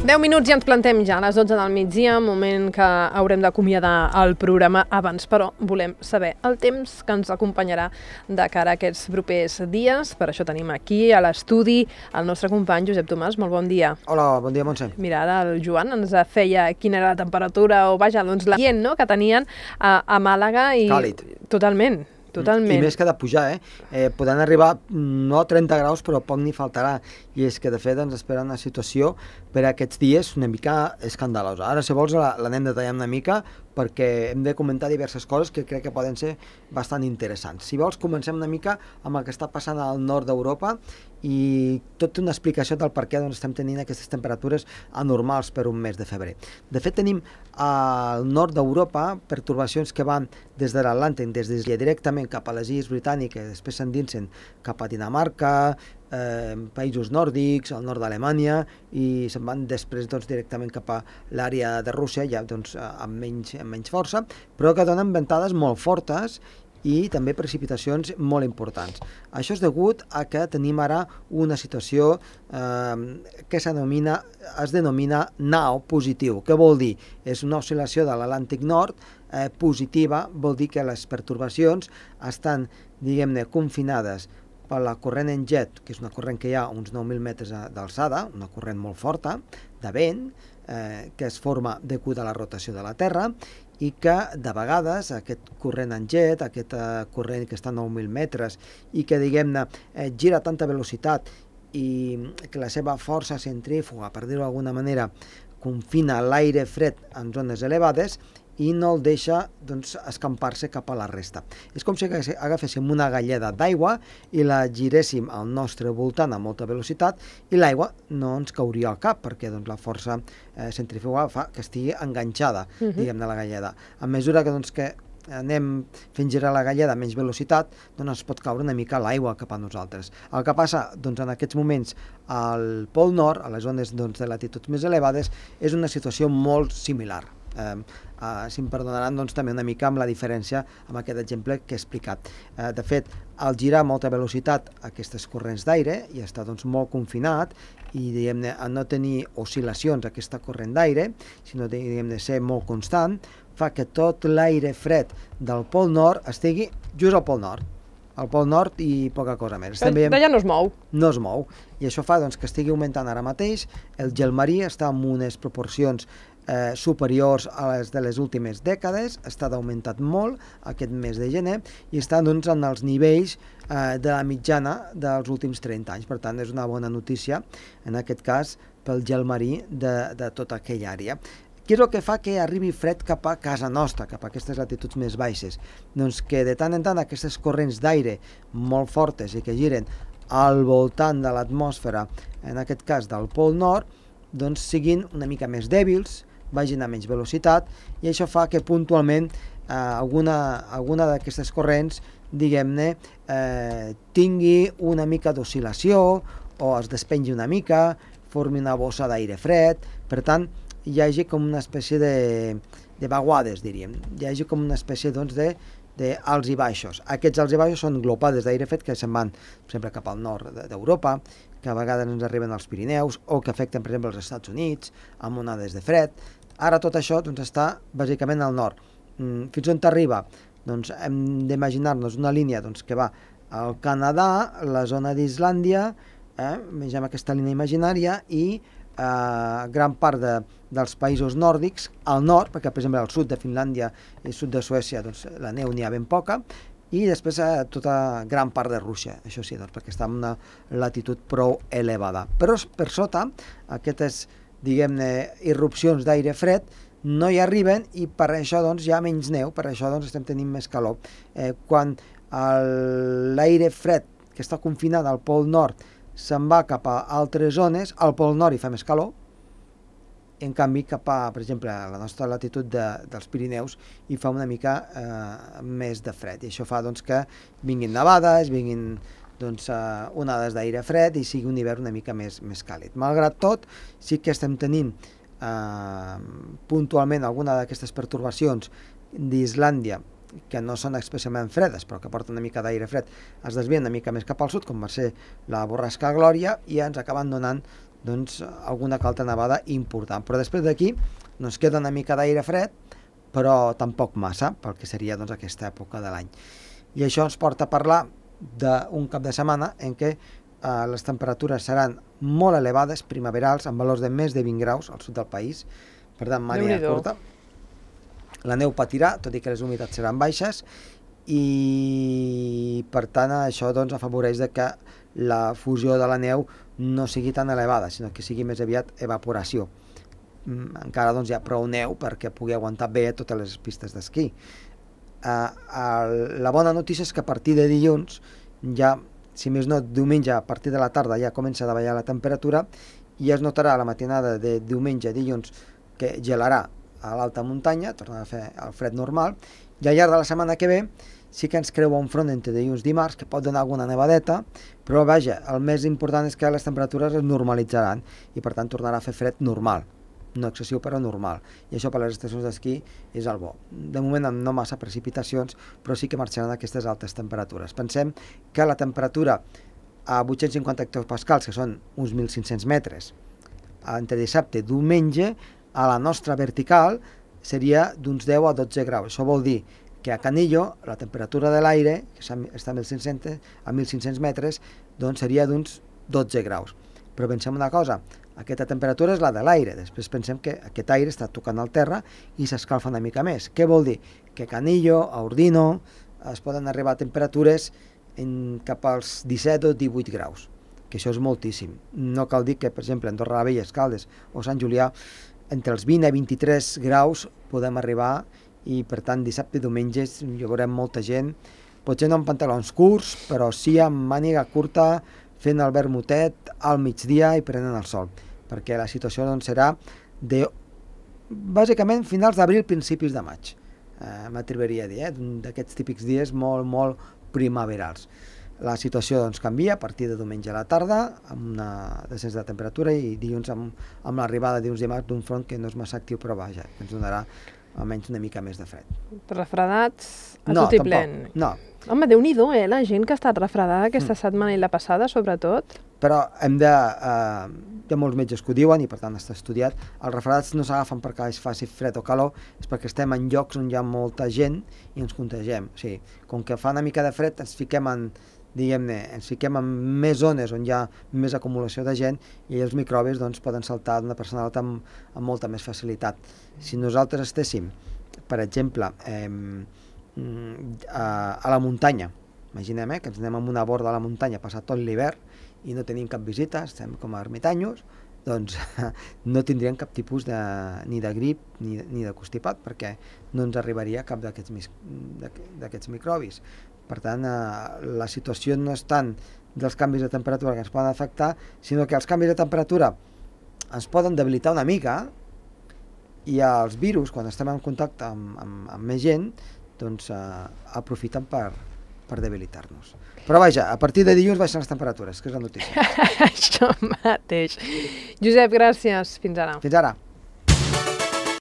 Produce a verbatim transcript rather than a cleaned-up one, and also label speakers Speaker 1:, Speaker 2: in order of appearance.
Speaker 1: deu minuts i ens plantem ja a les dotze del migdia, moment que haurem d'acomiadar el programa. Abans, però, volem saber el temps que ens acompanyarà de cara a aquests propers dies. Per això tenim aquí a l'estudi el nostre company Josep Tomàs. Molt bon dia.
Speaker 2: Hola, bon dia, Montse.
Speaker 1: Mira, ara el Joan ens feia quina era la temperatura, o vaja, doncs l'ambient, no?, que tenien a, a Màlaga. I...
Speaker 2: Càlid.
Speaker 1: Totalment. Totalment.
Speaker 2: I més que de pujar, eh? eh poden arribar no a trenta graus, però poc n'hi faltarà. I és que, de fet, ens espera una situació per a aquests dies una mica escandalosa. Ara, si vols, l'anem detallant una mica, perquè hem de comentar diverses coses que crec que poden ser bastant interessants. Si vols, comencem una mica amb el que està passant al nord d'Europa i tota una explicació del per què doncs, estem tenint aquestes temperatures anormals per un mes de febrer. De fet, tenim al nord d'Europa pertorbacions que van des de l'Atlàntic, des d'Islàndia directament cap a les Illes Britàniques, després s'endinsen cap a Dinamarca, eh, països nòrdics, al nord d'Alemanya, i se'n van després doncs, directament cap a l'àrea de Rússia, ja doncs, amb, menys, amb menys força, però que donen ventades molt fortes i també precipitacions molt importants. Això és degut a que tenim ara una situació eh, que denomina, es denomina nao positiu. Què vol dir? És una oscil·lació de l'Atlàntic Nord eh, positiva, vol dir que les pertorbacions estan, diguem-ne, confinades per la corrent en jet, que és una corrent que hi ha uns nou mil metres d'alçada, una corrent molt forta, de vent, eh, que es forma degut a la rotació de la Terra, i que de vegades aquest corrent en jet, aquest eh, corrent que està a nou mil metres i que, diguem-ne, eh, gira a tanta velocitat i que la seva força centrífuga, per dir-ho d'alguna manera, confina l'aire fred en zones elevades i no el deixa doncs, escampar-se cap a la resta. És com si agaféssim una galleda d'aigua i la giréssim al nostre voltant a molta velocitat i l'aigua no ens cauria al cap perquè doncs, la força eh, centrífuga fa que estigui enganxada, uh-huh. diguem-ne, la galleda. A mesura que, doncs, que anem fent girar la galleda a menys velocitat, doncs ens pot caure una mica l'aigua cap a nosaltres. El que passa doncs, en aquests moments al Pol Nord, a les zones doncs, de latituds més elevades, és una situació molt similar. Eh, eh, si em perdonaran doncs, també una mica amb la diferència amb aquest exemple que he explicat. Eh, de fet, al girar a molta velocitat aquestes corrents d'aire i està doncs, molt confinat i diguem-ne a no tenir oscil·lacions aquesta corrent d'aire, sinó diguem-ne ser molt constant, fa que tot l'aire fred del Pol Nord estigui just al Pol Nord. Al Pol Nord i poca cosa més.
Speaker 1: D'allà no es mou.
Speaker 2: No es mou. I això fa doncs, que estigui augmentant ara mateix. El gel marí està en unes proporcions eh, superiors a les de les últimes dècades, està augmentat molt aquest mes de gener i està doncs, en els nivells eh, de la mitjana dels últims trenta anys. Per tant, és una bona notícia, en aquest cas, pel gel marí de, de tota aquella àrea. Què és el que fa que arribi fred cap a casa nostra, cap a aquestes latituds més baixes? Doncs que de tant en tant aquestes corrents d'aire molt fortes i que giren al voltant de l'atmosfera, en aquest cas del Pol Nord, doncs siguin una mica més dèbils, vagin a menys velocitat, i això fa que puntualment eh, alguna, alguna d'aquestes corrents, diguem-ne, eh, tingui una mica d'oscil·lació o es despengi una mica, formi una bossa d'aire fred, per tant, hi hagi com una espècie de, de vaguades, diríem. Hi hagi com una espècie doncs, de, de alts i baixos. Aquests alts i baixos són glopades d'aire fred que se'n van sempre cap al nord d'Europa, que a vegades ens arriben als Pirineus o que afecten, per exemple, els Estats Units, amb onades de fred. Ara tot això doncs, està bàsicament al nord. Fins on t'arriba? Doncs hem d'imaginar-nos una línia doncs, que va al Canadà, la zona d'Islàndia, eh? Vegem aquesta línia imaginària, i Uh, gran part de, dels països nòrdics al nord, perquè per exemple al sud de Finlàndia i sud de Suècia doncs, la neu n'hi ha ben poca, i després uh, tota gran part de Rússia, això sí, doncs, perquè està en una latitud prou elevada. Però per sota, aquestes, diguem-ne, irrupcions d'aire fred no hi arriben i per això doncs, hi ha menys neu, per això doncs, estem tenint més calor. Eh, quan l'aire fred que està confinat al Pol Nord se'n va cap a altres zones, al Pol Nord hi fa més calor, en canvi cap a, per exemple, a la nostra latitud de, dels Pirineus hi fa una mica eh, més de fred, i això fa doncs, que vinguin nevades, vinguin doncs, eh, onades d'aire fred i sigui un hivern una mica més, més càlid. Malgrat tot, sí que estem tenint eh, puntualment alguna d'aquestes pertorbacions d'Islàndia que no són especialment fredes, però que porten una mica d'aire fred, es desvien una mica més cap al sud, com va ser la borrasca Glòria, i ens acaben donant doncs, alguna que altra nevada important. Però després d'aquí ens queda una mica d'aire fred, però tampoc massa, pel que seria doncs, aquesta època de l'any. I això ens porta a parlar d'un cap de setmana en què eh, les temperatures seran molt elevades, primaverals, amb valors de més de vint graus al sud del país, per tant, màniga curta. La neu patirà, tot i que les humitats seran baixes, i per tant això doncs, afavoreix de que la fusió de la neu no sigui tan elevada, sinó que sigui més aviat evaporació. Encara doncs, hi ha prou neu perquè pugui aguantar bé totes les pistes d'esquí. Uh, uh, la bona notícia és que a partir de dilluns, ja, si més no, diumenge a partir de la tarda ja comença a davallar la temperatura i es notarà a la matinada de diumenge a dilluns que gelarà a l'alta muntanya, tornarà a fer el fred normal, i al llarg de la setmana que ve sí que ens creua un front entre dilluns i dimarts que pot donar alguna nevadeta, però vaja, el més important és que les temperatures es normalitzaran i per tant tornarà a fer fred normal, no excessiu però normal, i això per a les estacions d'esquí és el bo. De moment amb no massa precipitacions, però sí que marxaran aquestes altes temperatures. Pensem que la temperatura a vuit-cents cinquanta hectopascals, que són uns mil cinc-cents metres, entre dissabte i diumenge, a la nostra vertical seria d'uns deu a dotze graus. Això vol dir que a Canillo la temperatura de l'aire, que està a mil cinc-cents metres, doncs seria d'uns dotze graus. Però pensem una cosa, aquesta temperatura és la de l'aire, després pensem que aquest aire està tocant al terra i s'escalfa una mica més. Què vol dir? Que a Canillo, a Ordino, es poden arribar a temperatures en cap als disset o divuit graus, que això és moltíssim. No cal dir que, per exemple, a Andorra la Vella, Escaldes o Sant Julià, entre els vint a vint-i-tres graus podem arribar i, per tant, dissabte i diumenge hi veurem molta gent, potser no amb pantalons curts, però sí amb màniga curta, fent el vermutet al migdia i prenent el sol, perquè la situació doncs, serà de, bàsicament, finals d'abril, principis de maig. Eh, M'atreviria a dir, eh? D'aquests típics dies molt, molt primaverals. La situació doncs, canvia a partir de diumenge a la tarda, amb una descens de temperatura, i dilluns amb, amb l'arribada dilluns dimarts d'un front que no és massa actiu, però vaja, que ens donarà almenys una mica més de fred.
Speaker 1: Refredats a
Speaker 2: no,
Speaker 1: tot i plen.
Speaker 2: No,
Speaker 1: Home, Déu-n'hi-do, eh? La gent que ha estat refredada aquesta mm. setmana i la passada, sobretot.
Speaker 2: Però hem de... Eh, hi ha molts metges que ho diuen i per tant està estudiat. Els refredats no s'agafen perquè es faci fred o calor, és perquè estem en llocs on hi ha molta gent i ens contagiem. O sigui, com que fa una mica de fred ens fiquem en, diguem-ne, ens fiquem en més zones on hi ha més acumulació de gent i els microbis doncs, poden saltar d'una persona a l'altra amb, amb molta més facilitat. Si nosaltres estéssim, per exemple, eh, a, a la muntanya, imaginem eh, que ens anem a una borda de la muntanya, passat tot l'hivern i no tenim cap visita, estem com a ermitanyos, doncs no tindríem cap tipus de, ni de grip ni, ni de constipat, perquè no ens arribaria cap d'aquests microbis. Per tant, eh, la situació no és tant dels canvis de temperatura que ens poden afectar, sinó que els canvis de temperatura ens poden debilitar una mica i els virus, quan estem en contacte amb, amb, amb més gent, doncs eh, aprofiten per, per debilitar-nos. Però vaja, a partir de dilluns baixen les temperatures, que és la notícia.
Speaker 1: Això mateix. Josep, gràcies. Fins ara.
Speaker 2: Fins ara.